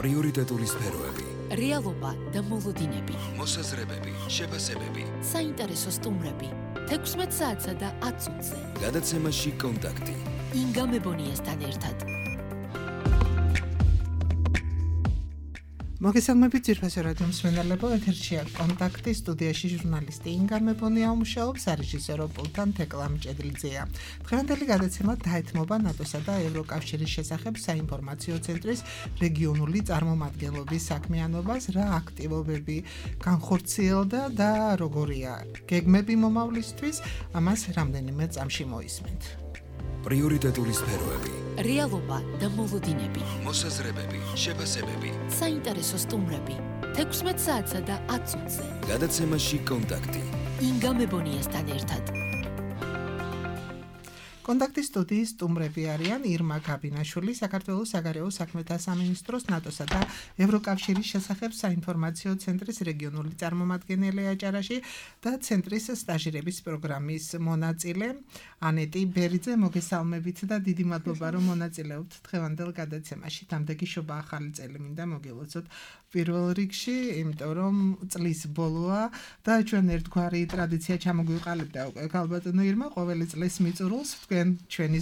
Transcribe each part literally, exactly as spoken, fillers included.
პრიორიტეტული სფეროები, რეალობა და მოლოდინები, მოსაზრებები, შეფასებები, საინტერესო სტუმრები, თექვსმეტ საათსა და ათ წუთზე. გადაცემაში კონტაქტი. ინგა მებონიასთან ერთად. მოგესალმებით ძირფასო რადიო მსმენელებო, ეთერშია კონტაქტი, სტუდიაში ჟურნალისტი ინგა მებონია მუშაობს, რეჟისორო პულტან თეკლა მჭედლიძეა. დღევანდელი გადაცემა დაეთმობა ნატოსა და ევროკავშირის შესახებ საინფორმაციო ცენტრის რეგიონული წარმომადგენლობის საქმიანობას, რა აქტივობები განხორციელდა და როგორია გეგმები მომავლისთვის, ამას რამდენიმე წამში მოისმენთ. პრიორიტეტული სფეროები, რეალობა და მოლოდინები, მოსაზრებები, შეფასებები, საინტერესო სტუმრები, თექვსმეტ საათსა და ათ წუთზე. გადაცემაში კონტაქტი. ინგა მებონიასთან ერთად. კონტაქტის სტუდიის სტუმრები არიან ირმა გაბინაშვილი, საქართველოს საგარეო საქმეთა სამინისტროს ნატოსა და ევროკავშირის შესახებ საინფორმაციო ცენტრის რეგიონული წარმომადგენელი აჭარაში და ცენტრის სტაჟირების პროგრამის მონაწილე ანეტი ბერიძე. მოგესალმებით და დიდი მადლობა რომ მონაწილეობთ დღევანდელ გადაცემაში. დამდეგი შობა ახალი წელი მინდა მოგილოცოთ პირველ რიგში, იმიტომ რომ წლის ბოლოა და ჩვენ ერთგვარი ტრადიცია ჩამოგვიყალიბდა უკვე ქალბატონო ირმა, ყოველი წლის მიწურულს ჩვენი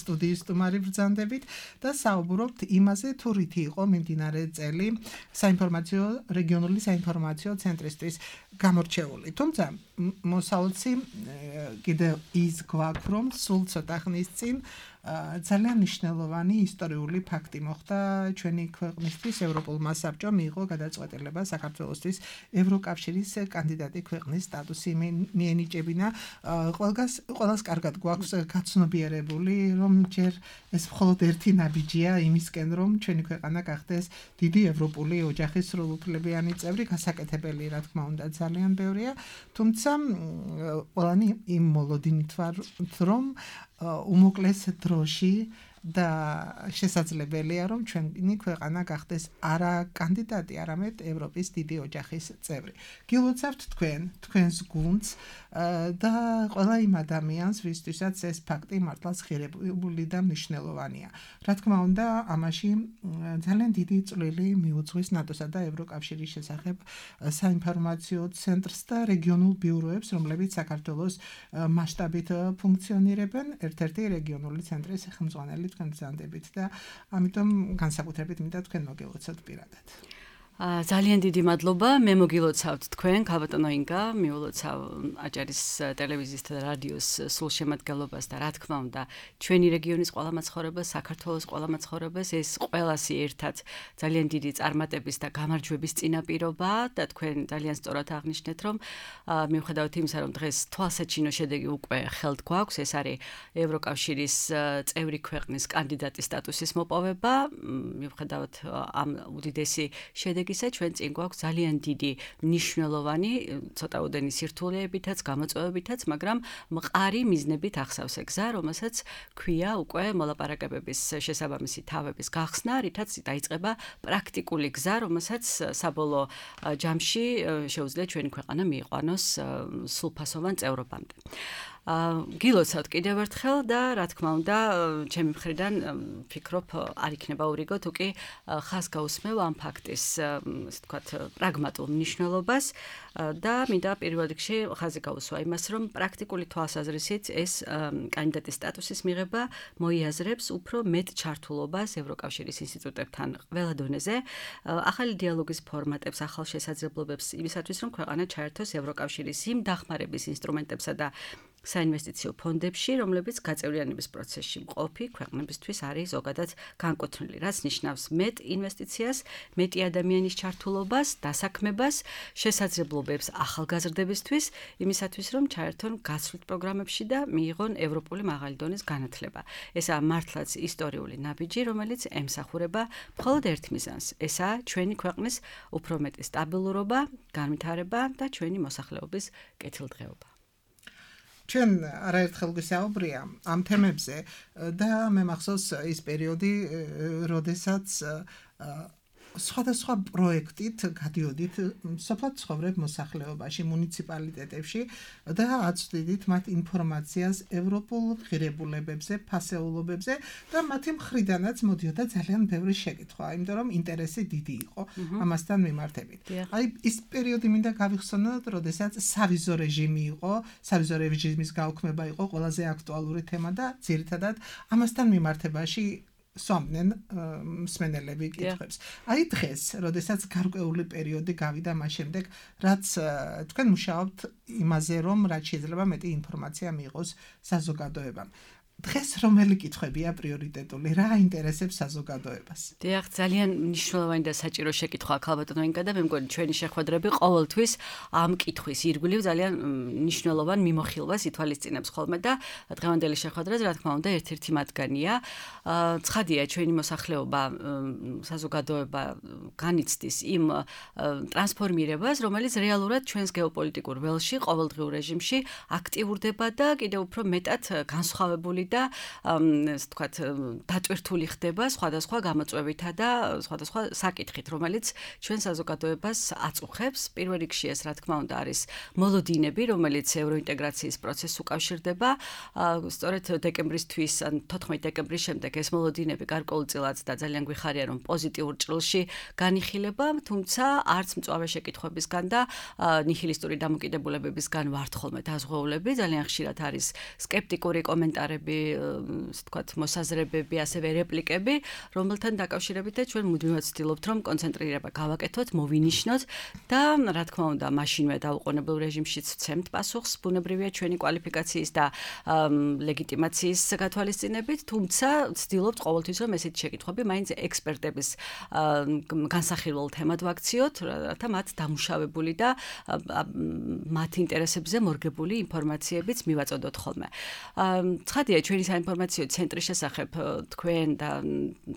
სტუდიის სტუმარი ბრძანდებით და საუბრობთ იმაზე, თუ რითი იყო მიმდინარე წელი საინფორმაციო რეგიონული საინფორმაციო ცენტრისთვის გამორჩეული. თუმცა მოსავალში კიდევ ის გვაქვს, რომ სულ ცოტა ხნის წინ ძალიან მნიშვნელოვანი ისტორიული ფაქტი მოხდა ჩვენი ქვეყნისთვის. ევროპულმა საბჭომ მიიღო გადაწყვეტილება საქართველოსთვის ევროკავშირის კანდიდატი ქვეყნის სტატუსი მიენიჭებინა. ყველგას ყველას კარგად გვაქვს გაცნობიერებული, რომ ჯერ ეს მხოლოდ ერთი ნაბიჯია იმისკენ, რომ ჩვენი ქვეყანა გახდეს დიდი ევროპული ოჯახის სრულუფლებიანი წევრი. გასაკეთებელი, რა თქმა უნდა, ძალიან ბევრია, თუმცა ყველანი იმ მოლოდინით ვარ, რომ უმოკლეს დროში და შესაძლებელია, რომ ჩვენი ქვეყანა გახდეს არა კანდიდატი, არამედ ევროპის დიდი ოჯახის წევრი. გილოცავთ თქვენ, თქვენს გუნდს და ყველა იმ ადამიანს, ვისთვისაც ეს ფაქტი მართლაც ღირებული და მნიშვნელოვანია. რა თქმა უნდა, ამაში ძალიან დიდი წვლილი მიუძღვის ნატოსა და ევროკავშირის შესახებ საინფორმაციო ცენტრს და რეგიონულ ბიუროებს, რომლებიც საქართველოს მასშტაბით ფუნქციონირებენ. ერთ-ერთი რეგიონული ცენტრის ხელმძღვანელი თქვენ ბრძანდებით და ამიტომ განსაკუთრებით მინდა თქვენ მოგილოცოთ პირადად. ძალიან დიდი მადლობა, მე მოგილოცავთ თქვენ, ქალბატონო ინგა, მიულოცავ აჭარის ტელევიზიის და რადიოს სულ შემადგენლობას და რა თქმა უნდა, ჩვენი რეგიონის ყველა მაცხოვრებელს, საქართველოს ყველა მაცხოვრებელს ეს ყველასი ერთად ძალიან დიდი წარმატების და გამარჯვების წინაპირობა და თქვენ ძალიან სწორად აღნიშნეთ, რომ მიუხედავად იმისა, რომ დღეს თვალსაჩინო შედეგი უკვე ხელთ გვაქვს, ეს არის ევროკავშირის წევრი ქვეყნის კანდიდატის სტატუსის მოპოვება, მიუხედავად ამ უდიდესი შედეგი ჩვენ წინ გვაქვს ძალიან დიდი მნიშვნელოვანი ცოტაოდენი სირთულეებითაც, გამოწვევებითაც, მაგრამ მყარი მიზნებით ახსავს გზა, რომელსაც ქვია უკვე მოლაპარაკებების შესაბამისი თავების გახსნა, რითაც დაიწყება პრაქტიკული გზა, რომელსაც საბოლოო ჯამში შეუძლია ჩვენი ქვეყანა მიიყვანოს სრულფასოვან წევრობამდე. გილოცავთ კიდევ ერთხელ და რა თქმა უნდა, ჩემი მხრიდან ვფიქრობ, არ იქნება ურიგო, თუ კი ხაზ გაუსმევ ამ ფაქტის, ასე ვთქვათ, პრაგმატულ მნიშვნელობას და მინდა პირველ რიგში ხაზი გაუსვა იმას, რომ პრაქტიკული თვალსაზრისით ეს კანდიდატის სტატუსის მიღება მოიაზრებს უფრო მეტ ჩართულობას ევროკავშირის ინსტიტუტებთან ყველა დონეზე, ახალი დიალოგის ფორმატებს, ახალ შესაძლებლობებს იმისათვის, რომ ქვეყანა ჩაერთოს ევროკავშირის იმ დახმარების ინსტრუმენტებსა და საინვესტიციო ფონდებში, რომლებიც გაწევრიანების პროცესში მყოფი ქვეყნებისთვის არის ზოგადად განკუთვნილი, რაც ნიშნავს მეტ ინვესტიციას, მეტი ადამიანის ჩართულობას, დასაქმებას, შესაძლებლობებს ახალგაზრდებისთვის, იმისათვის, რომ ჩაერთონ გაცვლით პროგრამებში და მიიღონ ევროპული მაღალი დონის განათლება. ესაა მართლაც ისტორიული ნაბიჯი, რომელიც ემსახურება მხოლოდ ერთ მიზანს. ესაა ჩვენი ქვეყნის უფრო მეტი სტაბილურობა, განვითარება და ჩვენი მოსახლეობის კეთილდღეობა. ჩვენ არაერთხელ გვისაუბრია ამ თემებზე და მე მახსოვს ის პერიოდი, როდესაც სხვადასხვა პროექტით გადიოდით სოფლად ცხოვრებ მოსახლეობაში, მუნიციპალიტეტებში და აწვდიდით მათ ინფორმაციას ევროპულ ღირებულებებზე, ფასეულობებზე და მათი მხრიდანაც მოდიოდა ძალიან ბევრი შეკითხვა, იმიტომ რომ ინტერესი დიდი იყო ამასთან მიმართებით. აი ის პერიოდი მინდა გავიხსენოთ, როდესაც სავიზო რეჟიმი იყო, სავიზო რეჟიმის გაუქმება იყო ყველაზე აქტუალური თემა და ძირითადად ამასთან მიმართებაში სვამდნენ მსმენელები კითხვებს. აი დღეს, როდესაც გარკვეული პერიოდი გავიდა მას შემდეგ, რაც თქვენ მუშაობთ იმაზე, რომ რაც შეიძლება მეტი ინფორმაცია მიიღოს საზოგადოებამ. დღეს რომელი კითხვებია პრიორიტეტული, რა აინტერესებს საზოგადოებას? დიახ, ძალიან მნიშვნელოვანი და საჭირო შეკითხვა ქალბატონო ინკა და მე მგონი ჩვენი შეხვედრები ყოველთვის ამ კითხვის ირგვლივ ძალიან მნიშვნელოვან მიმოხილვას ითვალისწინებს ხოლმე და დღევანდელი შეხვედრაც რა თქმა უნდა ერთ-ერთი მათგანია. ცხადია, ჩვენი მოსახლეობა, საზოგადოება განიცდის იმ ტრანსფორმირებას, რომელიც რეალურად ჩვენს გეოპოლიტიკურ ველში, ყოველდღიურ რეჟიმში აქტიურდება და კიდევ უფრო მეტად განსხვავებული და ასე ვთქვათ, დატვირთული ხდება სხვადასხვა გამოწვევითა და სხვადასხვა საკითხით, რომელიც ჩვენ საზოგადოებას აწუხებს. პირველ რიგში ეს რა თქმა უნდა არის მოლოდინები, რომელიც ევროინტეგრაციის პროცესს უკავშირდება. სწორედ დეკემბრისთვის ან თოთხმეტი დეკემბრის შემდეგ ეს მოლოდინები გარკვეულწილად და ძალიან გვიხარია, რომ პოზიტიურ ჭრილში განიხილება, თუმცა არც მწვავე შეკითხვებისგან და ნიჰილისტური დამოკიდებულებებისგან ვართ ხოლმე დაზღვეულები. ძალიან ხშირად არის სკეპტიკური კომენტარები, ასე ვთქვათ, მოსაზრებები, ასევე რეპლიკები, რომელთან დაკავშირებით ჩვენ მუდმივად ვცდილობთ, რომ კონცენტრირება გავაკეთოთ, მოვინიშნოთ და რა თქმა უნდა, მაშინვე დაუყოვნებელ რეჟიმშიც ვცემთ პასუხს, ბუნებრივია ჩვენი კვალიფიკაციის და ლეგიტიმაციის გათვალისწინებით, თუმცა ვცდილობთ ყოველთვის, რომ ესეთი შეკითხვები მაინც ექსპერტების განსახილველ თემად ვაქციოთ, რათა მათ დამუშავებული და მათ ინტერესებზე მორგებული ინფორმაციებიც მივაწოდოთ ხოლმე. ცხადია, ჩვენი საინფორმაციო ცენტრის შესახებ თქვენ და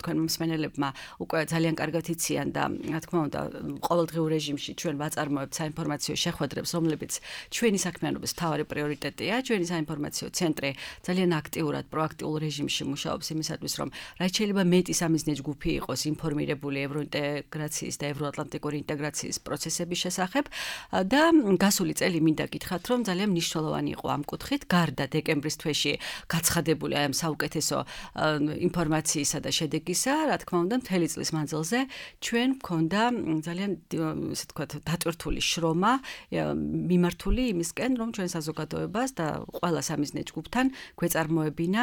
თქვენ მსმენელებმა უკვე ძალიან კარგად იციან და რა თქმა უნდა, ყოველდღიურ რეჟიმში ჩვენ ვაწარმოებთ საინფორმაციო შეხვედრებს, რომლებიც ჩვენი საქმიანობის მთავარი პრიორიტეტია. ჩვენი საინფორმაციო ცენტრი ძალიან აქტიურად, პროაქტიულ რეჟიმში მუშაობს იმისათვის, რომ რაც შეიძლება მეტი სამიზნე ჯგუფი იყოს ინფორმირებული ევროინტეგრაციის და ევროატლანტიკური ინტეგრაციის პროცესების შესახებ და გასული წელი მინდა გითხრათ, რომ ძალიან მნიშვნელოვანი იყო ამ კუთხით, გარდა დეკემბრის თვეში გაცხადებული აი ამ საუკეთესო ინფორმაციისა და შედეგისა, რა თქმა უნდა, მთელი წლის მანძილზე ჩვენ გვქონდა ძალიან ასე ვთქვათ, დატვირთული შრომა მიმართული იმისკენ, რომ ჩვენ საზოგადოებას და ყველა სამიზნე ჯგუფთან გვეწარმოებინა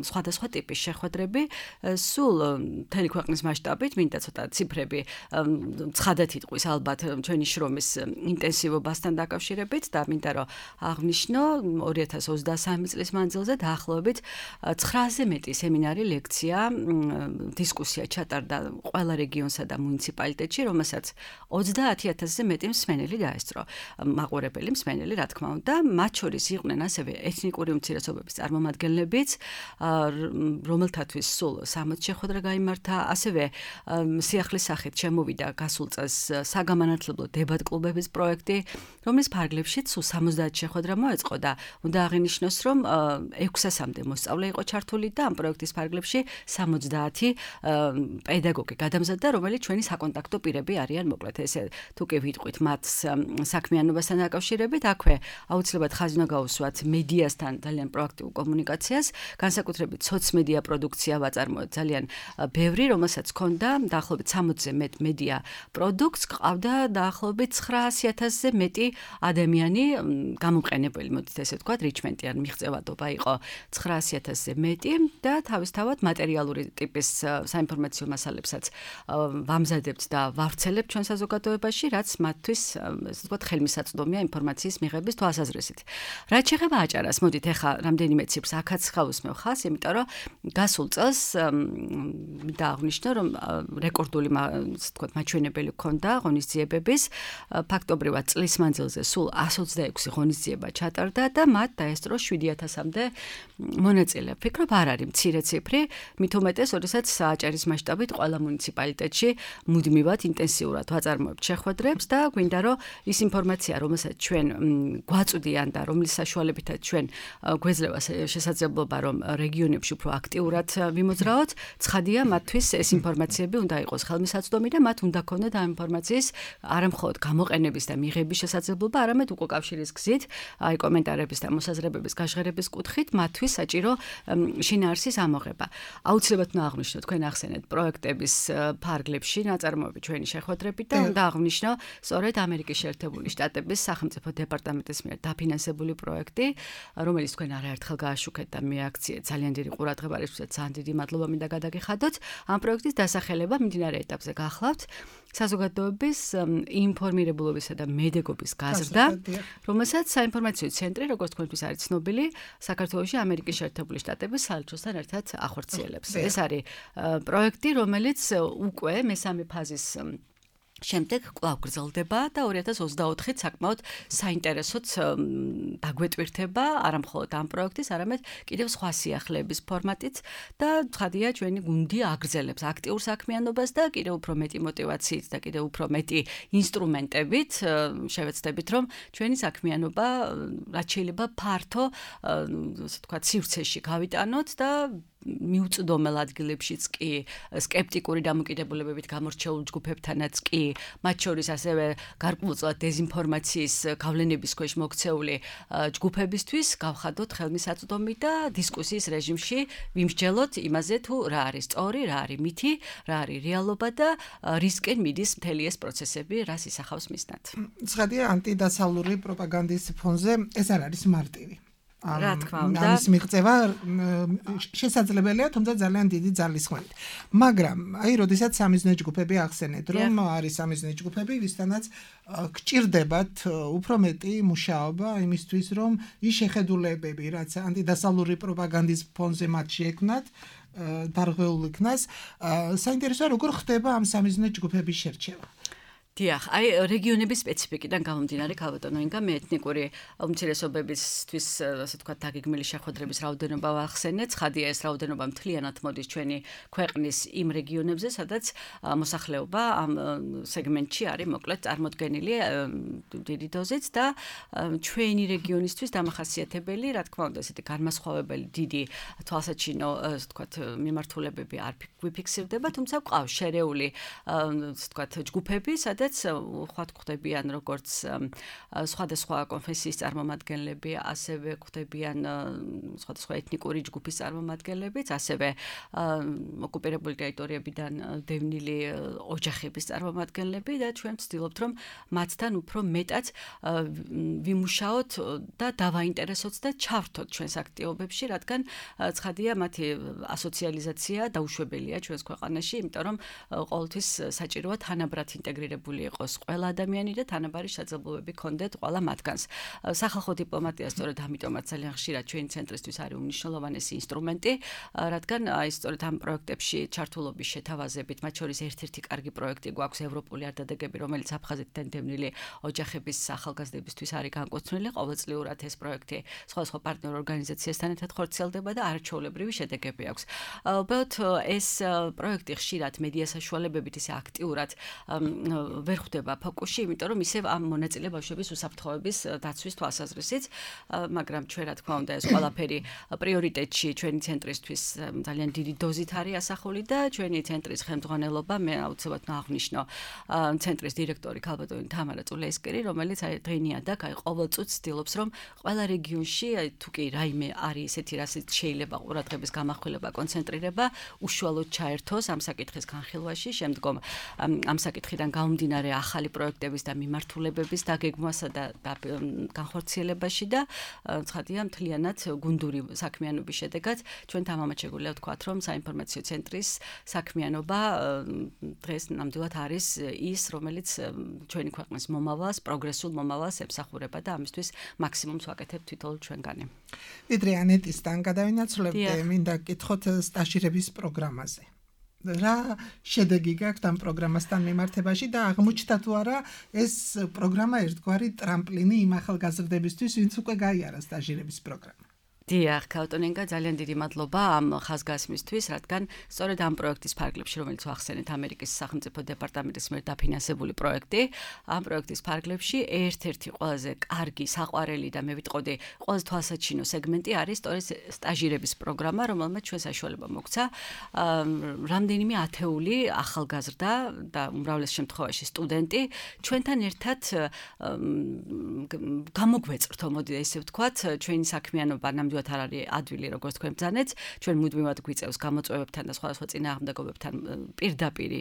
სხვადასხვა ტიპის შეხვედრები, სულ მთელი ქვეყნის მასშტაბით, მინდა ცოტა ციფრები ცხადად იტყვის ალბათ ჩვენი შრომის ინტენსივობასთან დაკავშირებით და მინდა რომ აღნიშნო ორი ათას ოცდასამი წლის მანძილზე დაახლოებით ცხრააზე მეტი სემინარი, ლექცია, დისკუსია ჩატარდა ყველა რეგიონსა და მუნიციპალიტეტში, რომელსაც ოცდაათი ათასზე მეტი მსმენელი დაესწრო. მაყურებელი მსმენელი, რა თქმა უნდა, მათ შორის იყვნენ ასევე ეთნიკური უმცირესობების წარმომადგენლებიც, რომელთათვის სულ სამოცი შეხვედრა გაიმართა, ასევე სიახლის სახით შემოვიდა გასულ წელს საგამანათლებლო დებატ კლუბების პროექტი, რომლის ფარგლებშიც სულ სამოცდაათი შეხვედრა მოეწყო და უნდა აღინიშნოს, რომ ექვსასამდე მოსწავლე იყო ჩართული და ამ პროექტის ფარგლებში სამოცდაათი პედაგოგი გადამზადდა, რომელიც ჩვენი საკონტაქტო პირები არიან, მოკლედ ესე თუ კი ვიტყვით მათ საქმიანობასთან დაკავშირებით, აქვე აუცილებლად ხაზი უნდა გაუსვათ მედიასთან ძალიან პროაქტიულ კომუნიკაციას, განსაკუთრებით სოციმედია პროდუქცია ვაწარმოეთ ძალიან ბევრი, რომელსაც ჰქონდა დაახლოებით სამოცზე მეტ მედია პროდუქტს, ყავდა დაახლოებით ცხრაასი ათასზე მეტი ადამიანი გამომყენებელი, მოდით ესე ვთქვათ, რიჩმენტი ან მიღწევადობა იყო ცხრაასი ათასზე მეტი და თავისთავად მატერიალური ტიპის საინფორმაციო მასალებსაც ვამზადებთ და ვავრცელებთ ჩვენ საზოგადოებაში, რაც მათთვის ესე ვთქვათ, ხელმისაწვდომია ინფორმაციის მიღების თვალსაზრისით. რაც შეეხება აჭარას, მოდით ახლა რამდენიმე ციფრს აქაც ხავსმევ ხას, იმიტომ რომ გასულ წელს მინდა აღვნიშნო, რომ რეკორდული ესე ვთქვათ, მაჩვენებელი ჰქონდა ღონისძიებების, ფაქტობრივად წლის მანძილზე სულ ასი ოცდაექვსი ღონისძიება ჩატარდა და მათ დაესწრო შვიდი ათასამდე მონაწილე. ვფიქრობ, არ არის მცირე ციფრი, მით უმეტეს, როდესაც აჭარის მასშტაბით ყველა მუნიციპალიტეტში მუდმივად ინტენსიურად ვაწარმოებთ შეხვედრებს და გვინდა რომ ის ინფორმაცია, რომელსაც ჩვენ გვაწვდიან და რომლის საშუალებითაც ჩვენ გვეძლევა შესაძლებლობა, რომ რეგიონებში უფრო აქტიურად ვიმოძრაოთ, ცხადია, მათთვის ეს ინფორმაციები უნდა იყოს ხელმისაწვდომი ნათქვამი და მათ უნდა ქონდეთ ამ ინფორმაციის არამხოლოდ გამოყენების და მიღების შესაძლებლობა, არამედ უკავშირის გზით, აი კომენტარების და მოსაზრებების გაჟღერების კუთხით მათთვის საჭირო შინაარსის ამოღება. აუცილებლად უნდა აღვნიშნო თქვენ ახსენეთ პროექტების ფარგლებში ნაწარმოები ჩვენი შეხვედრებით და უნდა აღვნიშნო სწორედ ამერიკის შეერთებული შტატების სახელმწიფო დეპარტამენტის მიერ დაფინანსებული პროექტი, რომელიც თქვენ არაერთხელ გააშუქეთ და მიაქციეთ ძალიან დიდი ყურადღება, რისთვისაც ძალიან დიდი მადლობა მინდა გადაგიხადოთ. ამ პროექტის დასახელება მიმდინარე ეტაპზე გახლავთ საზოგადოების ინფორმირებულობისა და მედეგობის გაზრდა, რომელსაც საინფორმაციო ცენტრი, როგორც თქვენთვის არის ცნობილი, საქართველოში ამერიკის შეერთებული შტატების საელჩოსთან ერთად ახორციელებს. ეს არის პროექტი, რომელიც უკვე მესამე ფაზის შემდეგ კვლავ გრძელდება და ორი ათას ოცდაოთხით საკმაოდ საინტერესოც დაგვეტვირთება არამხოლოდ ამ პროექტის, არამედ კიდევ სხვა სიახლეების ფორმატით და ცხადია ჩვენი გუნდი აგრძელებს აქტიურ საქმიანობას და კიდევ უფრო მეტი мотивაციით და კიდევ უფრო მეტი ინსტრუმენტებით შევეცდებით, რომ ჩვენი საქმიანობა რაც შეიძლება ფართო, ასე ვთქვათ, სივრცეში გავიტანოთ და მიუწვდომელ ადგილებშიც კი სკეპტიკური დამოკიდებულებებით გამორჩეულ ჯგუფებთანაც კი მათ შორის ასევე გარკვეულწილად დეზინფორმაციის გავლენების ქვეშ მოქცეული ჯგუფებისთვის გავხადოთ ხელმისაწვდომი და დისკუსიის რეჟიმში ვიმსჯელოთ იმაზე თუ რა არის სწორი, რა არის მითი, რა არის რეალობა და რისკენ მიდის მთელი ეს პროცესები, რას ისახავს მისნად. ცხადია ანტიდასავლური პროპაგანდის ფონზე ეს არ არის მარტივი. რა თქმა უნდა, ამის მიღწევა შესაძლებელია, თუმცა ძალიან დიდი ძალისხმევით. მაგრამ აი, როდესაც სამიზნე ჯგუფები ახსენეთ, რომ არის სამიზნე ჯგუფები, ვისთანაც გჭირდებათ უფრო მეტი მუშაობა იმისთვის, რომ ის შეხედულებები, რაც ანტიდასავლური პროპაგანდის ფონზე მათ შეექმნათ, დარღვეულ იქნას, საინტერესოა როგორ ხდება ამ სამიზნე ჯგუფების შერჩევა. დიახ, აი რეგიონების სპეციფიკიდან გამომდინარე, ქალბატონო ინგა, მე ეთნიკური უმცირესობებისთვის, ასე ვთქვათ, დაგეგმილი შეხვედრების რაოდენობა ვახსენეთ. ცხადია, ეს რაოდენობა მთლიანად მოდის ჩვენი ქვეყნის იმ რეგიონებზე, სადაც მოსახლეობა ამ სეგმენტში არის მოკლედ წარმოდგენილი დიდი დოზით და ჩვენი რეგიონისთვის დამახასიათებელი, რა თქმა უნდა, ესეთი განმასხვავებელი დიდი თვალსაჩინო, ასე ვთქვათ, მიმართულებები არ გვიფიქსირდება, თუმცა გვყავს შერეული, ასე ვთქვათ, ჯგუფები, სადაც ხوات ხდებიან როგორც სხვადასხვა კონფესიის წარმომადგენლები, ასევე ხდებიან სხვადასხვა ეთნიკური ჯგუფის წარმომადგენლებიც, ასევე ოკუპირებული ტერიტორიებიდან დევნილი ოჯახების წარმომადგენლები და ჩვენ ვცდილობთ, რომ მათთან უფრო მეტად ვიმუშაოთ და დავაინტერესოთ და ჩავრთოთ ჩვენს აქტივობებში, რადგან ცხადია მათი ასოციალიზაცია დაუშვებელია ჩვენს ქვეყანაში, იმიტომ რომ ყოველთვის საჭიროა თანაბრად ინტეგრირებული იყოს ყველა ადამიანი და თანაბარი შესაძლებლობები ჰქონდეთ ყველა მათგანს. სახალხო დიპლომატია სწორედ ამიტომაც ძალიან ხშირად ჩვენი ცენტრისთვის არის უმნიშვნელოვანესი ინსტრუმენტი, რადგან აი სწორედ ამ პროექტებში ჩართულობის შეთავაზებით, მათ შორის ერთ-ერთი კარგი პროექტი გვაქვს ევროპული არდადეგები, რომელიც აფხაზეთიდან დევნილი ოჯახების ახალგაზრდებისთვის არის განკუთვნილი. ყოველწლიურად ეს პროექტი სხვადასხვა პარტნიორ ორგანიზაციასთან ერთად ხორციელდება და არაჩვეულებრივი შედეგები აქვს. უბრალოდ ეს პროექტი ხშირად მედია საშუალებებით ისე აქტიურად ვერ ხდება ფოკუსში, იმიტომ რომ ისევ ამ მონაწილე ბავშვების უსაფრთხოების დაცვის თვალსაზრისით, მაგრამ ჩვენ რა თქმა უნდა ეს ყველაფერი პრიორიტეტში ჩვენი ცენტრისთვის ძალიან დიდი დოზით არის ასახული და ჩვენი ცენტრის ხელმძღვანელობა, მე აუცილებლად აღნიშნო ცენტრის დირექტორი ქალბატონი თამარა წულეისკერი, რომელიც აი დღენიადაკ აი ყოველწუთს ცდილობს, რომ ყველა რეგიონში თუ კი რაიმე არის ესეთი, რასაც შეიძლება ყურადღების გამახვილება, კონცენტრირება, უშუალოდ ჩაერთოს ამ საკითხის განხილვაში, შემდგომ ამ საკითხიდან გამომდინარე ახალი პროექტების და მიმართულებების დაგეგმვასა და განხორციელებაში და ცხადია მთლიანად გუნდური საქმიანობის შედეგად ჩვენ თამამად შეგვიძლია ვთქვათ, რომ საინფორმაციო ცენტრის საქმიანობა დღეს ნამდვილად არის ის, რომელიც ჩვენი ქვეყნის მომავალს, პროგრესულ მომავალს ემსახურება და ამისთვის მაქსიმუმს ვაკეთებთ თვითონ ჩვენგანი. ვიდრე ანეტისთან გადავინაცვლებდე, მინდა გკითხოთ სტაჟირების პროგრამაზე. რა შედეგი გაქვთ ამ პროგრამასთან მიმართებაში და აღმოჩნდა თუ არა ეს პროგრამა ერთგვარი ტრამპლინი იმ ახალგაზრდებისთვის, ვინც უკვე გაიარა სტაჟირების პროგრამა. დიახ, ქაუტონენკა ძალიან დიდი მადლობა ამ ხაზგასმისთვის, რადგან სწორედ ამ პროექტის ფარგლებში, რომელიც ახსენეთ ამერიკის სახელმწიფო დეპარტამენტის მიერ დაფინანსებული პროექტი, ამ პროექტის ფარგლებში ერთ-ერთი ყველაზე კარგი საყვარელი და მე ვიტყოდი ყველაზე თვალსაჩინო სეგმენტი არის სწორედ სტაჟირების პროგრამა, რომელმაც ჩვენ საშუალება მოგცა რამდენიმე ათეული ახალგაზრდა და უმრავლეს შემთხვევაში სტუდენტი ჩვენთან ერთად გამოგვეწრთო, მოდი ესე ვთქვათ, ჩვენი საქმიანობა ნამდვილად არ არის ადვილი, როგორც თქვენ ბრძანეთ, ჩვენ მუდმივად გვიწევს გამოწვევებთან და სხვადასხვა წინააღმდეგობებთან პირდაპირ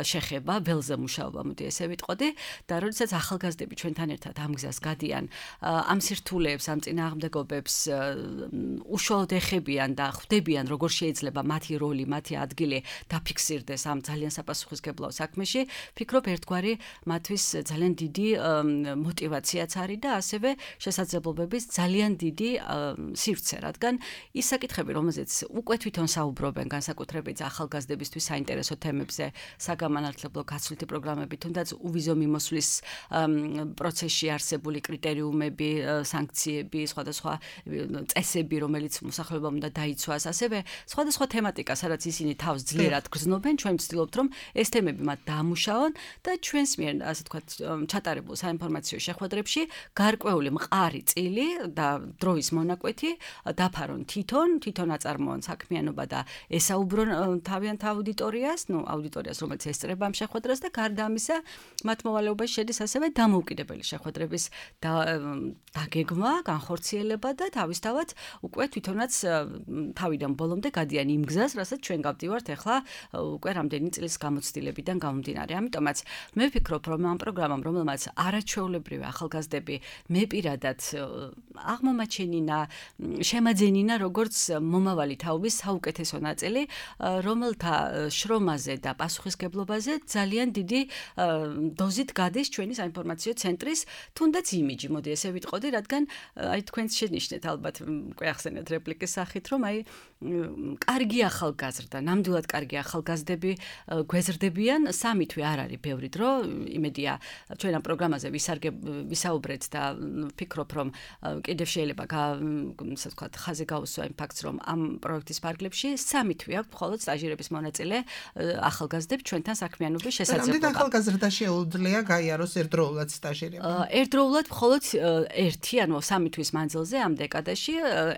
შეხება, ველზე მუშაობა, მოდი ესე ვიტყოდი და როდესაც ახალგაზრდები ჩვენთან ერთად ამ გზას გადიან, ამ სირთულეებს, ამ წინააღმდეგობებს უშუალოდ ეხებიან და ხვდებიან, როგორ შეიძლება მათი როლი, მათი ადგილი დაფიქსირდეს ამ ძალიან საპასუხისმგებლო საქმეში, ფიქრობ ერთგვარი მათთვის ძალიან დიდი мотиваციაც არის და ასევე შესაძლებლობების ძალიან დიდი სივრცე, რადგან ის საკითხები, რომელზეც უკვე თვითონ საუბრობენ განსაკუთრებით ახალგაზრდებისთვის საინტერესო თემებზე, საგამანათლებლო გაცვლითი პროგრამები, თუნდაც უვიზო მიმოსვლის პროცესში არსებული კრიტერიუმები, სანქციები, სხვადასხვა წესები, რომელიც მოსახლეობამ უნდა დაიცვას, ასევე სხვადასხვა თემატიკა, სადაც ისინი თავს ძლიერად გრძნობენ, ჩვენ ვცდილობთ, რომ ეს თემები მათ დაამუშავონ და ჩვენს მიერ, ასე ვთქვათ, ჩატარებულ საინფორმაციო შეხვედრებში გარკვეული მყარი წილი და დროის მონაკვეთი დაფარონ თვითონ, თვითონ აწარმოონ საქმიანობა და ესაუბრონ თავიანთ აუდიტორიას, ну, აუდიტორიას, რომელიც ესწრება ამ შეხვედრას და გარდა ამისა, მათ მოვალეობაში შედის ასევე დამოუკიდებელი შეხვედრების დაგეგმა, განხორციელება და თავისთავად უკვე თვითონაც თავიდან ბოლომდე გადიან იმ გზას, რასაც ჩვენ გავდივართ ახლა უკვე რამდენი წლის გამოცდილებიდან გამომდინარე. ამიტომაც მე ვფიქრობ, რომ ამ პროგრამამ, რომელმაც არაჩვეულებრივი ახალგაზრდები მე პირადად აღმომაჩენინა, შემაძენინა როგორც მომავალი თაობის საუკეთესო ნაწილი, რომელთა შრომაზე და პასუხისმგებლობაზე ძალიან დიდი დოზით გადის ჩვენი საინფორმაციო ცენტრის თუნდაც იმიჯი, მოდი ესე ვიტყოდი, რადგან აი თქვენც შენიშნეთ ალბათ უკვე ახსენეთ რეპლიკის სახით, რომ აი კარგი ახალგაზრდა, ნამდვილად კარგი ახალგაზრდები გვეზრდებიან, სამი თვე არ არის ბევრი დრო, იმედია ჩვენ ამ პროგრამაზე ვისაუბრეთ და ვფიქრობ, რომ კიდევ შეიძლება ასე ვთქვათ, ხაზი გაუსვა იმ ფაქტს, რომ ამ პროექტის ფარგლებში სამი თვე აქვს მხოლოდ სტაჟირების მონაწილე ახალგაზრდებს ჩვენთან საქმიანობის შესაძლებლობა. რამდენი ახალგაზრდა შეუძლია გაიაროს ერთდროულად სტაჟირება? ერთდროულად მხოლოდ ერთი, ანუ სამი თვის მანძილზე ამ დეკადაში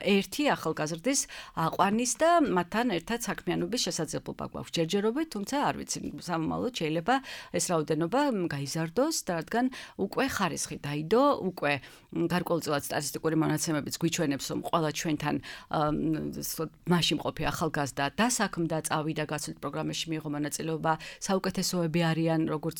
ერთი ახალგაზრდის აყვანის და მათთან ერთად საქმიანობის შესაძლებლობა გვაქვს ჯერჯერობით, თუმცა არ ვიცი, სამომავლოდ შეიძლება ეს რაოდენობა გაიზარდოს და რადგან უკვე ხარისხი დაიდო, უკვე გარკვეულწილად სტატისტიკური მონაცემებიც გვიჩვენებს, რომ ყველა ჩვენთან მასში მყოფი ახალგაზრდა დასაქმდა, წავიდა გაცვლით პროგრამებში მიიღო მონაწილეობა, საუკეთესოები არიან როგორც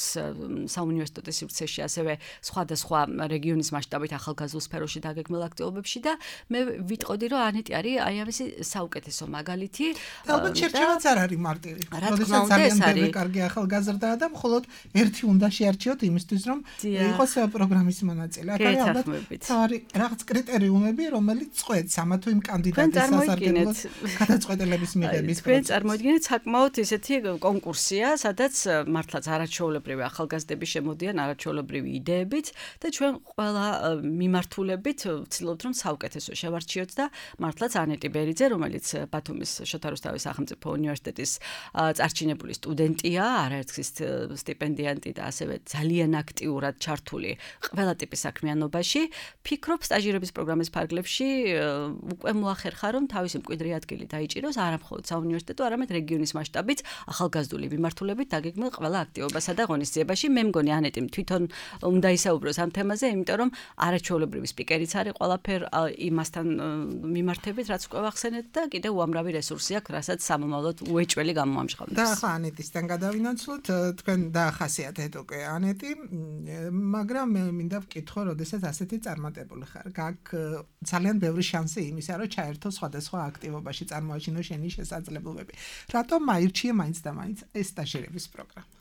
საუნივერსიტეტო სივრცეში, ასევე სხვადასხვა რეგიონის მასშტაბით ახალგაზრდულ სფეროში დაგეგმილ აქტივობებში და მე ვიტყოდი, რომ ანეტი არის აი ამისი საუკეთესო მაგალითი. ალბათ შერჩევაც არ არის მარტივი. როდესაც ძალიან ბევრი კარგი ახალგაზრდაა და მხოლოდ ერთი უნდა შეარჩიოთ იმისთვის, რომ იყოს პროგრამის მონაწილე. აქ არის ალბათ თავი რაღაც კრიტერიუმები, რომელიც წყვეტს ამა თუ იმ კანდიდატის სასარგებლოდ გადაწყვეტილების მიღების პროცესს. თქვენ წარმოიდგინეთ საკმაოდ ისეთი კონკურსია, სადაც მართლაც არაჩვეულებრივი ახალგაზრდები შემოდიან არაჩვეულებრივი იდეებით და ჩვენ ყველა მიმართულებით ვცდილობთ, რომ საუკეთესო შევარჩიოთ და მართლაც ანეტი ბერიძე, რომელიც ბათუმის შოთა რუსთავის სახელმწიფო უნივერსიტეტის წარჩინებული სტუდენტია, არაერთგზის სტიპენდიანტი და ასევე ძალიან აქტიურად ჩართული ყველა ტიპის საქმიანობაში, ფიქრობ სტაჟირების პროგრამის ფარგლებში უკვე მოახერხა, რომ თავისი მკვიდრი ადგილი დაიჭიროს არა მხოლოდ საუნივერსიტეტო, არამედ რეგიონის მასშტაბით ახალგაზრდული მიმართულებით დაგეგმილ ყველა აქტივობასა და ღონისძიებაში. მე მგონი ანეტიმ თვითონ უნდა ისაუბროს ამ თემაზე, იმიტომ რომ არაჩვეულებრივი სპიკერიც არის ყველაფერ იმასთან მიმართებით, რაც უკვე ვახსენეთ და კიდევ უამრავი რესურსი აქვს, რასაც სამომავლოდ უეჭველი გამოამჟღავნებს. და ახლა ანეტისთან გადავინაცვლოთ, თქვენ დაახასიათეთ უკვე ანეტი, მაგრამ მე მინდა ვკითხო, როდესაც ასეთი წარმატებული ხარ, გაქვს ძალიან ბევრი შანსი იმისა, რომ ჩაერთო სხვადასხვა აქტივობაში, წარმოაჩინო შენი შესაძლებლობები. რატომ მაირჩიე მაინც და მაინც ეს სტაჟირების პროგრამა?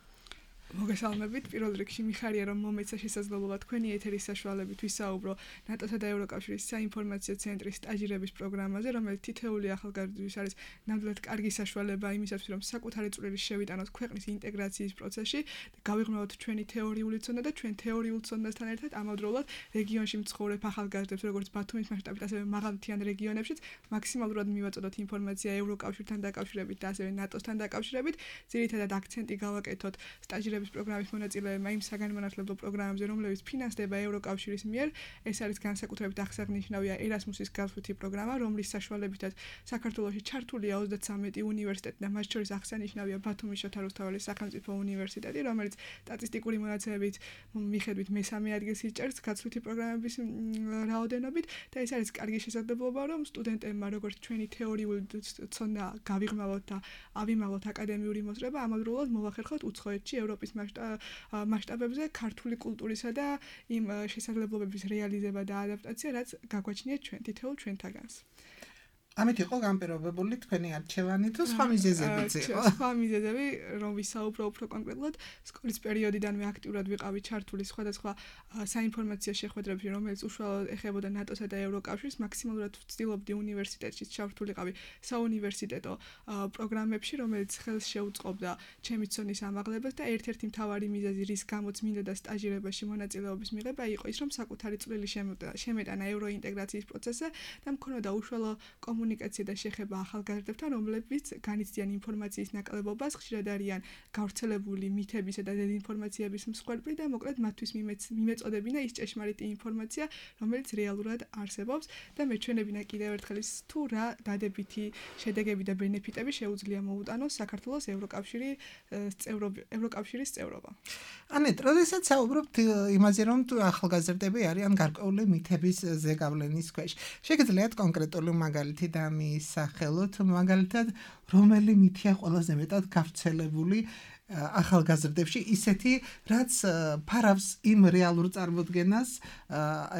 მოგესალმებით. პირველ რიგში მიხარია რომ მომეცა შესაძლებლობა თქვენი ეთერის საშუალებით ვისაუბრო ნატოსა და ევროკავშირის საინფორმაციო ცენტრის სტაჟირების პროგრამაზე, რომელიც თითოეული ახალგაზრდისთვის არის ნამდვილად კარგი საშუალება იმისათვის, რომ საკუთარი წვლილი შევიტანოთ ქვეყნის ინტეგრაციის პროცესში და გავიღრმავოთ ჩვენი თეორიული ცოდნა და ჩვენ თეორიულ ცოდნასთან ერთად ამავდროულად რეგიონში მცხოვრებ ახალგაზრდებს, როგორც ბათუმის მასშტაბით, ასევე მაღალმთიან რეგიონებშიც მაქსიმალურად მივაწოდოთ ინფორმაცია ევროკავშირთან დაკავშირებით და ასევე ნატოსთან დაკავშირებით. ძირითადად აქცენტი გავაკეთოთ სტაჟირების პროგრამის მონაწილეებმა იმ საგანმანათლებლო პროგრამებზე, რომლებიც ფინანსდება ევროკავშირის მიერ. ეს არის განსაკუთრებით აღსანიშნავია ერასმუსის გასვლითი პროგრამა, რომლის საშუალებითაც საქართველოში ჩართულია ოცდათსამეტი უნივერსიტეტი და მათ შორის აღსანიშნავია ბათუმის შოთა რუსთაველის სახელმწიფო უნივერსიტეტი, რომელიც სტატისტიკური მონაცემებით მიხედვით მესამე ადგილს იჭერს გასვლითი პროგრამების რაოდენობით და ეს არის კარგი შესაძლებლობა, რომ სტუდენტებმა როგორც ჩვენი თეორიული ცოდნა გავიღრმავოთ და ავიმაღოთ აკადემიური მოსწრება, ამავდროულად მოვახერხოთ უცხოეთში ევროპის მასშტაბებზე ქართული კულტურისა და იმ შესაძლებლობების რეალიზება და ადაპტაცია, რაც გაგვაჩნიათ ჩვენ თითოეულ ჩვენთაგანს. ამით იყო განპირობებული თქვენი არჩევანი თუ სხვა მიზეზებიც იყო? სხვა მიზეზები, რომ ვისაუბრო უფრო კონკრეტულად, სკოლის პერიოდიდანვე აქტიურად ვიყავი ჩართული სხვადასხვა საინფორმაციო შეხვედრებში, რომელიც უშუალოდ ეხებოდა ნატოსა და ევროკავშირს, მაქსიმალურად ვცდილობდი უნივერსიტეტში ჩართულიყავი საუნივერსიტეტო პროგრამებში, რომელიც ხელს შეუწყობდა ჩემი ცოდნის ამაღლებას და ერთ-ერთი მთავარი მიზეზი, რის გამოც მინდოდა სტაჟირებაში მონაწილეობის მიღება, იყო ის, რომ საკუთარი წვლილი შემეტანა ევროინტეგრაციის პროცესზე და მქონოდა უშუალო კომუნიკაცია და შეხება ახალგაზრდებთან, რომლებიც განიცდიან ინფორმაციის ნაკლებობას, ხშირად არიან გავრცელებული მითებისა და დეзინფორმაციების მსხვერპლი და მოკლედ მათთვის მიმეწოდებინა ის ჭეშმარიტი ინფორმაცია, რომელიც რეალურად არსებობს და მეჩვენებინა კიდევ ერთხელ ის თუ რა დადებითი შედეგები და ბენეფიტები შეუძლია მოუტანოს საქართველოს ევროკავშირის ევროკავშირის წევრობა. ანეტ, როდესაც საუბრობთ იმაზე, რომ თუ ახალგაზრდები არიან გარკვეული მითების ზეგავლენის ქვეშ, შეგიძლიათ კონკრეტული მაგალითი და მისახელოთ, მაგალითად, რომელი მითია ყველაზე მეტად გავრცელებული ახალგაზრდებში, ისეთი, რაც ფარავს იმ რეალურ წარმოდგენას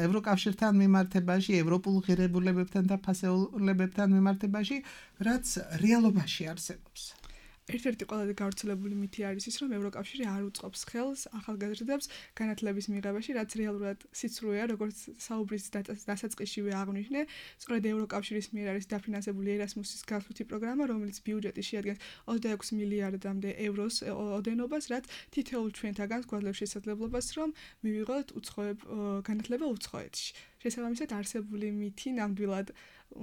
ევროკავშირთან მიმართებაში, ევროპულ ღირებულებებთან და ფასეულებებთან მიმართებაში, რაც რეალობაში არსებობს. ერთ-ერთი ყველაზე გავრცელებული მითი არის ის, რომ ევროკავშირი არ უწყობს ხელს ახალგაზრდებს განათლების მიღებაში, რაც რეალურად სიცრუეა, როგორც საუბრის დასაწყისშივე აღვნიშნე. სწორედ ევროკავშირის მიერ არის დაფინანსებული ერასმუსის გასვლითი პროგრამა, რომელიც ბიუჯეტი შეადგენს ოცდაექვსი მილიარდამდე ევროს ოდენობას, რაც თითოეულ ჩვენთაგანს გვაძლევს შესაძლებლობას, რომ მივიღოთ უცხოებ განათლება უცხოეთში. შესაბამისად, არსებული მითი ნამდვილად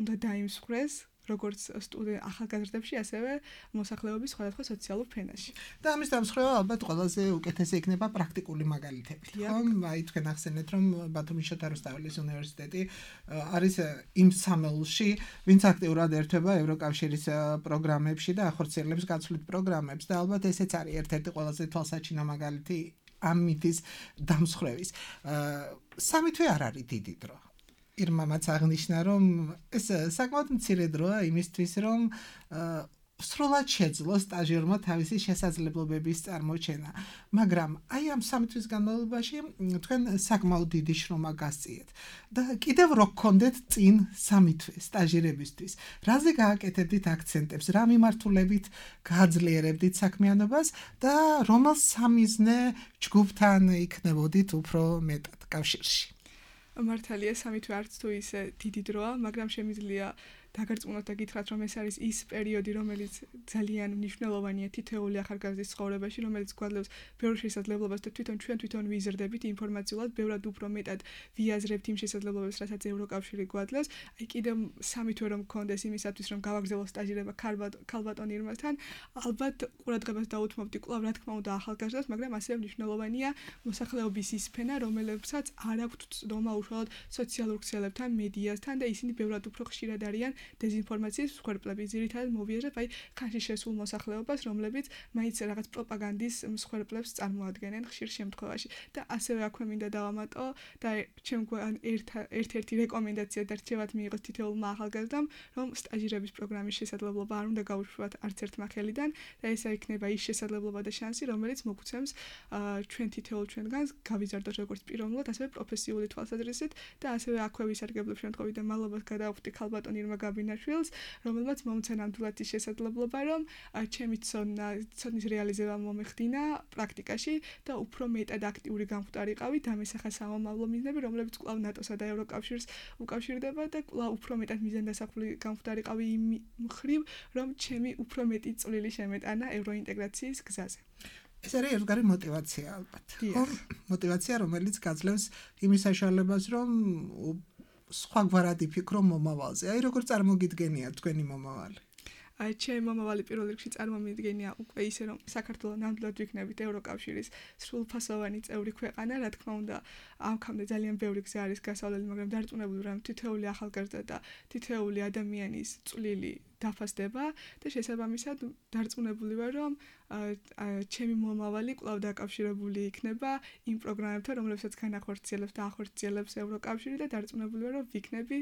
უნდა დაიმსხვრეს როგორც სტუდენტ ახალგაზრდებში, ასევე მოსახლეობის სხვადასხვა სოციალურ ფენაში. და ამის დამსხვრევა ალბათ ყველაზე უკეთესი იქნება პრაქტიკული მაგალითები. ხომ? აი თქვენ ახსენეთ, რომ ბათუმის შოთა რუსთაველის უნივერსიტეტი არის იმ სამეულში, ვინც აქტიურად ერთვება ევროკავშირის პროგრამებში და ახორციელებს გაცვლით პროგრამებს და ალბათ ესეც არის ერთ-ერთი ყველაზე თვალსაჩინო მაგალითი ამ მითის დამსხვრევის. სამი თვე არ არის დიდი დრო. ირმამაც აღნიშნა, რომ ეს საკმაოდ მცირე დროა იმისთვის, რომ სრულად შეძლო სტაჟიერმა თავისი შესაძლებლობების წარმოჩენა. მაგრამ აი ამ სამი თვის განმავლობაში თქვენ საკმაოდ დიდი შრომა გასწიეთ და კიდევ რო გქონდეთ წინ სამი თვე სტაჟირებისთვის. რაზე გააკეთებდით აქცენტებს, რა მიმართულებით გააძლიერებდით საქმიანობას და რომელ სამიზნე ჯგუფთან იქნებოდით უფრო მეტად კავშირში? მართალია, სამი თვე არც თუ ისე დიდი დროა, მაგრამ შემიძლია დაგარწმუნოთ და გითხრათ, რომ ეს არის ის პერიოდი, რომელიც ძალიან მნიშვნელოვანია თითოეული ახალგაზრდის ცხოვრებაში, რომელიც გვაძლევს ბევრ შესაძლებლობას და თვითონ ჩვენ თვითონ ვიზრდებით ინფორმაციულად, ბევრად უფრო მეტად ვიაზრებთ იმ შესაძლებლობებს, რასაც ევროკავშირი გვაძლევს. აი კიდევ სამი თვე რომ გქონდეს იმისათვის, რომ გავაგრძელო სტაჟირება ქალბატონ ირმასთან, ალბათ ყურადღებას დაუთმობდი კვლავ რა თქმა უნდა ახალგაზრდებს, მაგრამ ასევე მნიშვნელოვანია მოსახლეობის ის ფენა, რომელებსაც არ აქვთ ცდომა უშუალოდ სოციალურ ქსელებთან, მედიასთან და ისინი ბევრად უფრო ხშირად არიან დეзინფორმაციის მსხვერპლები. ძირითადად მოვიაზრებ აი ხანში შესულ მოსახლეობას, რომლებიც მაინც რაღაც პროპაგანდის მსხვერპლებს წარმოადგენენ ხშირ შემთხვევაში. და ასევე აქვე მინდა დავამატო და ჩემგან ერთ-ერთი რეკომენდაცია და რჩევათ მიიღოს თითოეულმა ახალგაზრდამ, რომ სტაჟირების პროგრამის შესაძლებლობა არ უნდა გაუშვათ არც ერთმა ხელიდან და ესა იქნება ის შესაძლებლობა და შანსი, რომელიც მოგცემს ჩვენ თითოეულ ჩვენგანს გავიზარდოთ როგორც პიროვნულად, ასევე პროფესიული თვალსაზრისით და ასევე აქვე ვისარგებლებ შემთხვევით და მალობას გადავხვდი ქალბატონ ირმა გაბინაშვილს, რომელმაც მომცა ნამდვილად ის შესაძლებლობა, რომ ჩემი ცოდნა, ცოდნის რეალიზება მომეხდინა პრაქტიკაში და უფრო მეტად აქტიური გამხდარიყავი დამესახა სამომავლო მიზნები, რომლებიც კვლავ ნატოსა და ევროკავშირს უკავშირდება და კვლავ უფრო მეტად მიზანდასახული გამხდარიყავი იმ მხრივ, რომ ჩემი უფრო მეტი წვლილი შემეტანა ევროინტეგრაციის გზაზე. ეს არის ერთგვარი მოტივაცია ალბათ. ხო, მოტივაცია, რომელიც გაძლევს იმის საშუალებას, რომ სხვაგვარად იფიქრო მომავალზე. აი როგორ წარმოგიდგენია თქვენი მომავალი? აი ჩემი მომავალი პირველ რიგში წარმომიდგენია უკვე ისე რომ საქართველოს ნამდვილად ვიქნებით ევროკავშირის სრულფასოვანი წევრი ქვეყანა, რა თქმა უნდა, ამქამდე ძალიან ბევრი გზა არის გასავლელი, მაგრამ დარწმუნებული ვარ, რომ თითოეული ახალგაზრდა და თითოეული ადამიანის წვლილი დაფასდება და შესაბამისად დარწმუნებული ვარ, რომ ჩემი მომავალი კვლავ დაკავშირებული იქნება იმ პროგრამებთან, რომლებსაც განახორციელებს და ახორციელებს ევროკავშირი და დარწმუნებული ვარ, რომ ვიქნები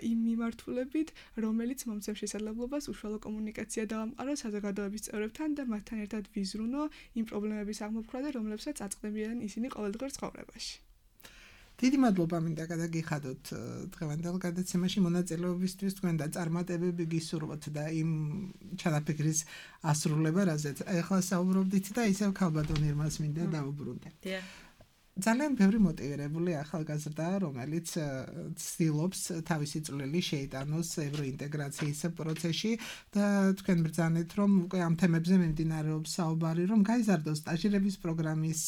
იმ მიმართულებით, რომელიც მომცემს შესაძლებლობას უშუალო კომუნიკაცია დავამყარო საზოგადოების წევრებთან და მათთან ერთად ვიზრუნო იმ პრობლემების აღმოფხვრა და რომლებსაც აწყდებიან ისინი ყოველდღიურ ცხოვრებაში. დიდი მადლობა მინდა გადაგიხადოთ დღევანდელ გადაცემაში მონაწილეობისთვის, თქვენ და წარმატებები გისურვოთ და იმ ჩანაფიქრის ასრულება, რაზეც ახლა საუბრობდით და ისევ ქალბატონ ირმას მინდა დავუბრუნდე. ძალიან ბევრი მოტივირებული ახალგაზრდა, რომელიც ცდილობს თავისი წვლილი შეიტანოს ევროინტეგრაციის პროცესში და თქვენ ბრძანეთ, რომ უკვე ამ თემებზე მიმდინარეობს საუბარი, რომ გაიზარდოს სტაჟირების პროგრამის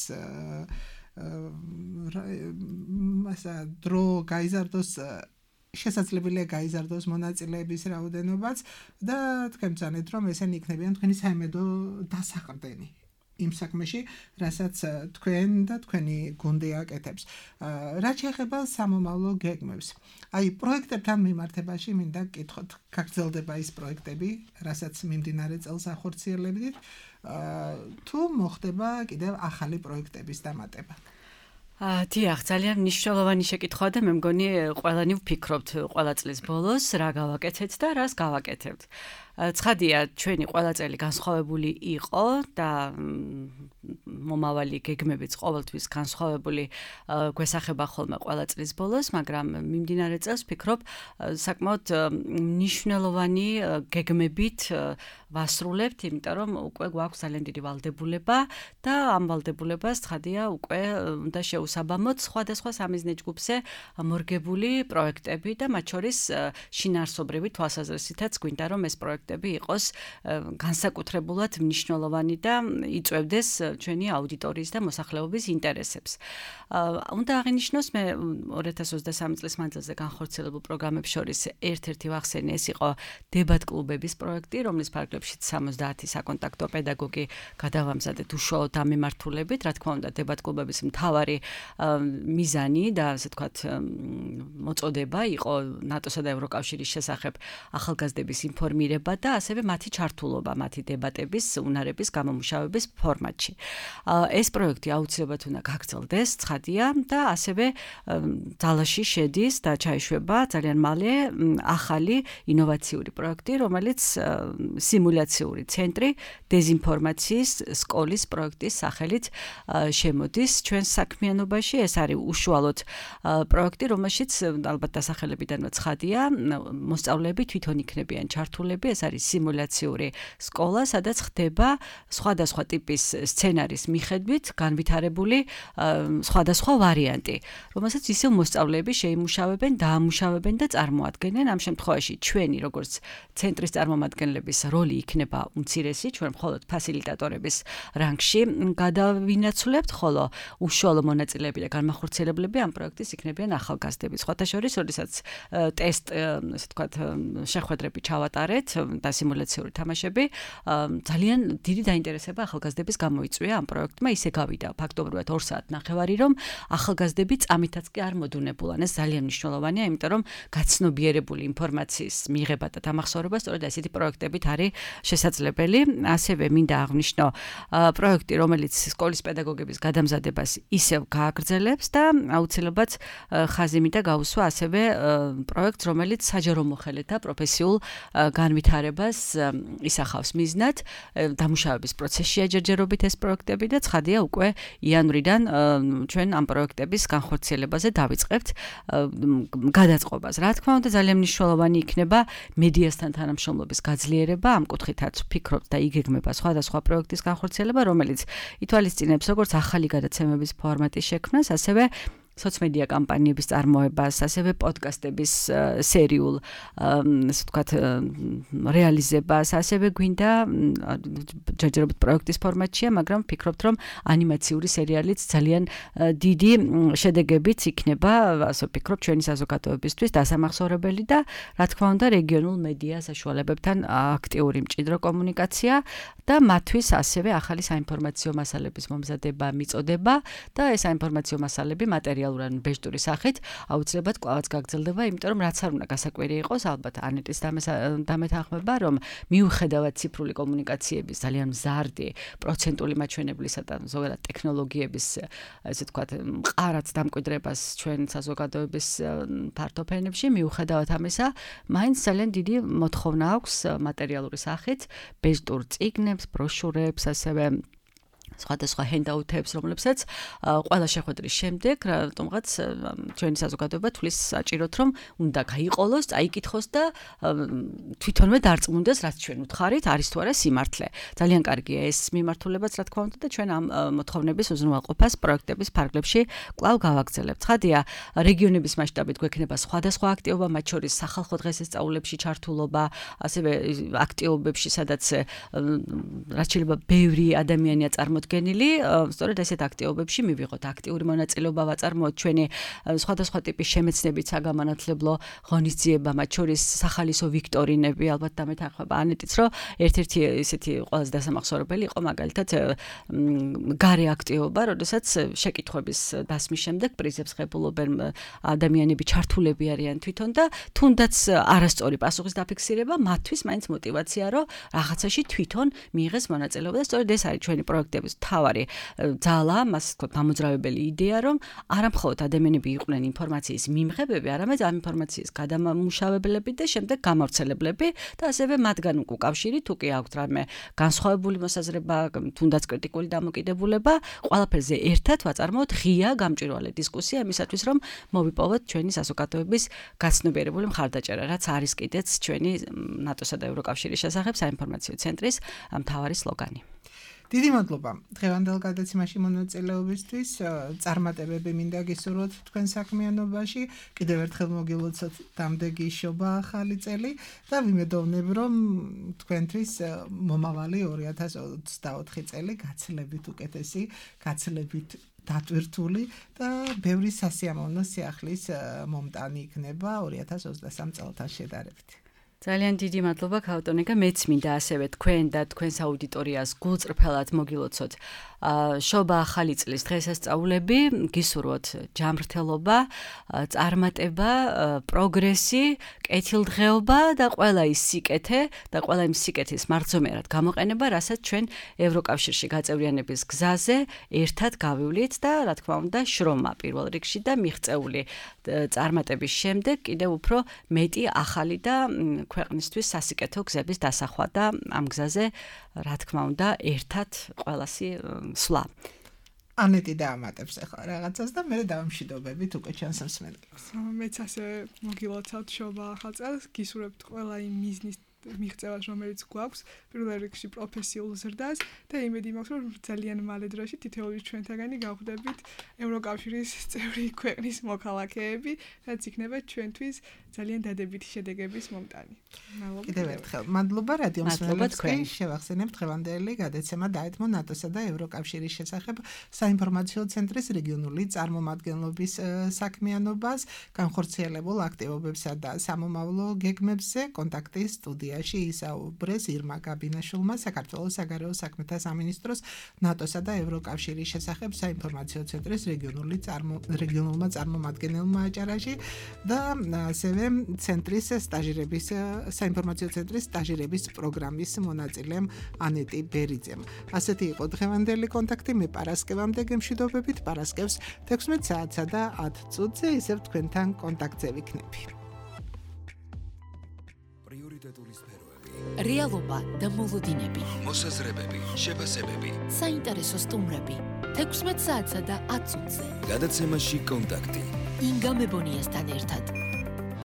მასა დრო გაიზარდოს შესაძლებელია გაიზარდოს მონაწილეების რაოდენობაც და თქვენ ბრძანეთ, რომ ესენი იქნებიან თქვენი საიმედო დასაყრდენი იმ საქმეში, რასაც თქვენ და თქვენი გუნდი აკეთებს. რაც შეეხება სამომავლო გეგმებს. აი, პროექტებთან მიმართებაში მინდა გკითხოთ, გაგრძელდება ის პროექტები, რასაც მიმდინარე წელს ახორციელებდით, თუ მოხდება კიდევ ახალი პროექტების დამატება. დიახ, ძალიან მნიშვნელოვანი შეკითხვაა და მე მგონი ყველანი ვფიქრობთ ყველა წლის ბოლოს რა გავაკეთეთ და რას გავაკეთებთ. ცხადია, ჩვენი ყველა წელი განსხვავებული იყო და მომავალი გეგმებიც ყოველთვის განსხვავებული გვესახება ხოლმე ყველა წლის ბოლოს, მაგრამ მიმდინარე წელს ვფიქრობ საკმაოდ მნიშვნელოვანი გეგმებით ვასრულებთ, იმიტომ რომ უკვე გვაქვს ძალიან დიდი ვალდებულება და ამ ვალდებულებას ცხადია უკვე უნდა შეუსაბამოთ სხვადასხვა სამიზნე ჯგუფზე მორგებული პროექტები და მათ შორის შინაარსობრივი თვალსაზრისითაც გვინდა რომ ეს პროექტები იყოს განსაკუთრებულად მნიშვნელოვანი და იწვევდეს ჩვენი აუდიტორიის და მოსახლეობის ინტერესებს. უნდა აღინიშნოს მე ორი ათას ოცდასამი წლის მანძილზე განხორციელებულ პროგრამებს შორის ერთ-ერთი ვახსენე, ეს იყო დებატ კლუბების პროექტი, რომლის ფარგლებშიც სამოცდაათი საკონტაქტო პედაგოგი გადავამზადეთ უშუალოდ ამ მიმართულებით. რა თქმა უნდა, დებატ კლუბების მთავარი მიზანი და ასე ვთქვათ მოწოდება იყო ნატოსა და ევროკავშირის შესახებ ახალგაზრდების ინფორმირება და ასევე მათი ჩართულობა, მათი დებატების, უნარების გამომუშავების ფორმატში. ეს პროექტი აუცილებლად უნდა გაგრძელდეს, ცხადია და ასევე ძალაში შედის და ჩაიშვება ძალიან მალე ახალი ინოვაციური პროექტი, რომელიც სიმულაციური ცენტრი დეზინფორმაციის სკოლის პროექტის სახელით შემოდის ჩვენს საქმიანობაში. ეს არის უშუალოდ პროექტი, რომელშიც ალბათ დასახელებიდანვე ცხადია, მოსწავლეები თვითონ იქნებიან ჩართულები. ეს არის სიმულაციური სკოლა, სადაც ხდება სხვადასხვა ტიპის სცენარის მიხედვით განვითარებული სხვადასხვა ვარიანტი, რომელსაც ისევ მოსწავლეები შეიმუშავებენ, დაამუშავებენ და წარმოადგენენ. ამ შემთხვევაში ჩვენი როგორც ცენტრის წარმომადგენლების როლი იქნება უმცირესი, ჩვენ მხოლოდ ფასილიტატორების რანგში გადავინაცვლებთ, ხოლო უშუალო მონაწილეები და განმახორციელებლები ამ პროექტის იქნებიან ახალგაზრდები. სხვათა შორის, როდესაც ტესტ, ასე ვთქვათ, შეხვედრები ჩავატარეთ და სიმულაციური თამაშები, ძალიან დიდი დაინტერესება ახალგაზრდების გამოიწვია ამ პროექტმა. ისე გავიდა ფაქტობრივად ორ საათ ნახევარი, რომ ახალგაზრდები წამითაც კი არ მოდუნებულან. ეს ძალიან მნიშვნელოვანია, იმიტომ რომ გაცნობიერებული ინფორმაციის მიღება და დამახსოვრება სწორედ ასეთი პროექტებით არის შესაძლებელი. ასევე მინდა აღვნიშნო პროექტი, რომელიც სკოლის პედაგოგების გადამზადებას ისევ გააგრძელებს და აუცილებლად ხაზი მინდა გაუსვა ასევე პროექტს, რომელიც საჯარო მოხელეთა პროფესიულ განვითარებას განვითარებას ისახავს მიზნად, დამუშავების პროცესშია ჯერჯერობით ეს პროექტები და ცხადია უკვე იანვრიდან ჩვენ ამ პროექტების განხორციელებაზე დავიწყებთ გადაწყობას. Რა თქმა უნდა, ძალიან მნიშვნელოვანი იქნება მედიასთან თანამშრომლობის გაძლიერება, ამ კუთხითაც ვფიქრობთ და იგეგმება სხვადასხვა პროექტის განხორციელება, რომელიც ითვალისწინებს როგორც ახალი გადაცემების ფორმატის შექმნას, ასევე სოციმედია კამპანიების წარმოებას, ასევე პოდკასტების სერიულ, ასე ვთქვათ, რეალიზებას, ასევე გვინდა ჯერჯერობით პროექტის ფორმატშია, მაგრამ ვფიქრობთ, რომ ანიმაციური სერიალიც ძალიან დიდი შედეგებით იქნება, ასე ვფიქრობ, ჩვენი საზოგადოებისთვის დასამახსოვრებელი და რა თქმა უნდა, რეგიონულ მედია საშუალებებთან აქტიური მჭიდრო კომუნიკაცია და მათთვის ასევე ახალი საინფორმაციო მასალების მომზადება მიწოდება და ეს საინფორმაციო მასალები მატერიალურად ბეჟტური სახით აუცილებლად კვლავაც გაგრძელდება, იმიტომ რომ რაც არ უნდა გასაკვირი იყოს, ალბათ ანეტის დამეთანხმება, რომ მიუხედავად ციფრული კომუნიკაციების ძალიან მზარდი პროცენტული მაჩვენებლისა და ზოგადად ტექნოლოგიების, ესე ვთქვათ, მყარად დამკვიდრებას ჩვენ საზოგადოების ფართო ფენებში, მიუხედავად ამისა, მაინც ძალიან დიდი მოთხოვნა აქვს მატერიალური სახით ბეჟტურ წიგნებს, ბროშურებს, ასევე სხვადასხვა ჰენდაუთებს, რომლებსაც ყველა შეხვედრის შემდეგ, რატომღაც ჩვენი საზოგადოება თulis საჭიროთ, რომ უნდა გაიყოლოს, წაიკითხოს და თვითონვე დარწმუნდეს, რაც ჩვენ უთხარით, არის თუ არა სიმართლე. ძალიან კარგია ეს მიმართულებაც, რა თქმა უნდა, და ჩვენ ამ მოთხოვნების უზრუნველყოფას პროექტების ფარგლებში კვლავ გავაგრძელებთ. ცხადია, რეგიონების მასშტაბით გვექნება სხვადასხვა აქტივობა, მათ შორის სახალხო დღესასწაულებში ჩართულობა, ასევე აქტივობებში, სადაც რაც შეიძლება ბევრი ადამიანია წარმოდგენილი, სწორედ ესეთ აქტივობებში მივიღოთ აქტიური მონაწილეობა, ვაწარმოოთ ჩვენი სხვადასხვა ტიპის შემეცნებით საგამანათლებლო ღონისძიება, მათ შორის სახალისო ვიქტორინები, ალბათ დამეთანხმება ანეტიც, რომ ერთ-ერთი ესეთი ყველაზე დასამახსოვრებელი იყო მაგალითად გარე აქტივობა, როდესაც შეკითხვების დასმის შემდეგ პრიზებს ღებულობენ ადამიანები, ჩართულები არიან თვითონ და თუნდაც არასწორი პასუხის დაფიქსირება, მათთვის მაინც мотиваცია, რომ რაღაცაში თვითონ მიიღეს მონაწილეობა და სწორედ ეს არის ჩვენი პროექტების თავარი ძალა, მას ვთქვათ, მამოძრავებელი იდეა, რომ არა მხოლოდ ადამიანები იყვნენ ინფორმაციის მიმღებები, არამედ ამ ინფორმაციის გადამამუშავებლები და შემდეგ გამავრცელებლები და ასევე მათგან უკავშირი, თუ კი აქვთ რამე განსხვავებული მოსაზრება, თუნდაც კრიტიკული დამოკიდებულება, ყველაფერზე ერთად ვაწარმოოთ ღია გამჭვირვალე დისკუსია იმისათვის, რომ მოვიპოვოთ ჩვენი საზოგადოების გაცნობიერებული მხარდაჭერა, რაც არის კიდეც ჩვენი ნატოსა და ევროკავშირის შესახებ საინფორმაციო ცენტრის მთავარი სლოგანი. დიდი მადლობა დღევანდელ გადაცემაში მონაწილეობისთვის. წარმატებები მინდა გისურვოთ თქვენ საქმიანობაში. კიდევ ერთხელ მოგილოცოთ დამდეგი შობა ახალი წელი და ვიმედოვნებ, რომ თქვენთვის მომავალი ორი ათას ოცდაოთხი წელი გაცილებით უკეთესი, გაცილებით დატვირთული და ბევრი სასიამოვნო სიახლის მომტანი იქნება ორი ათას ოცდასამ წელთან შედარებით. ძალიან დიდი მადლობა ქავტონიკა, მეც მინდა ასევე თქვენ და თქვენს აუდიტორიას გულწრფელად მოგილოცოთ შობა ახალი წლის დღესასწაულები, გისურვოთ ჯანმრთელობა, წარმატება, პროგრესი, კეთილდღეობა და ყველა ის სიკეთე და ყველა იმ სიკეთის მარცომიერად გამოყენება, რასაც ჩვენ ევროკავშირში გაწევრიანების გზაზე ერთად გავივლით და რა თქმა უნდა შრომა პირველ რიგში და მიღწეული წარმატების შემდეგ კიდევ უფრო მეტი ახალი და ქვეყნისთვის სასიკეთო გზების დასახვა და ამ გზაზე რა თქმა უნდა ერთად ყველასი სვლა. ანეტი დაამატებს ახლა რაღაცას და მე დავამშვიდობებით უკვე ჩვენს მსმენელს. მეც ასე მოგილოცავთ შობა ახალ წელს, გისურვებთ ყველა იმ მიზნის მიღწევას, რომელიც გვაქვს, პირველ რიგში პროფესიულ ზრდას და იმედი მაქვს, რომ ძალიან მალე დროში თითოეული ჩვენთაგანი გავხდებით ევროკავშირის წევრი ქვეყნის მოქალაქეები, რაც იქნება ჩვენთვის ძალიან დადებითი შედეგების მომტანი. კიდევ ერთხელ მადლობა რადიო მსმენელებისკენ, შევახსენებთ დღევანდელი გადაცემა დაეთმო ნატოსა და ევროკავშირის შესახებ საინფორმაციო ცენტრის რეგიონული წარმომადგენლობის საქმიანობას, განხორციელებულ აქტივობებსა და სამომავლო გეგმებზე კონტაქტის სტუდიაში ისაუბრეს ირმა გაბინაშვილმა, საქართველოს საგარეო საქმეთა სამინისტროს ნატოსა და ევროკავშირის შესახებ საინფორმაციო ცენტრის რეგიონული რეგიონულმა წარმომადგენელმა აჭარაში და ასევე ცენტრის სტაჟირების საინფორმაციო ცენტრის სტაჟირების პროგრამის მონაწილემ ანეტი ბერიძემ. ასეთი იყო დღევანდელი კონტაქტი. მე პარასკევამდე გემშვიდობებით, პარასკევს თექვსმეტ საათსა და ათ წუთზე ისევ თქვენთან კონტაქტზე ვიქნები. პრიორიტეტული სფეროები, რეალობა და მოლოდინები, მოსაზრებები, შეფასებები, საინტერესო სტუმრები. თექვსმეტ საათსა და ათ წუთზე. გადაცემაში კონტაქტი. ინგა მებონიასთან ერთად.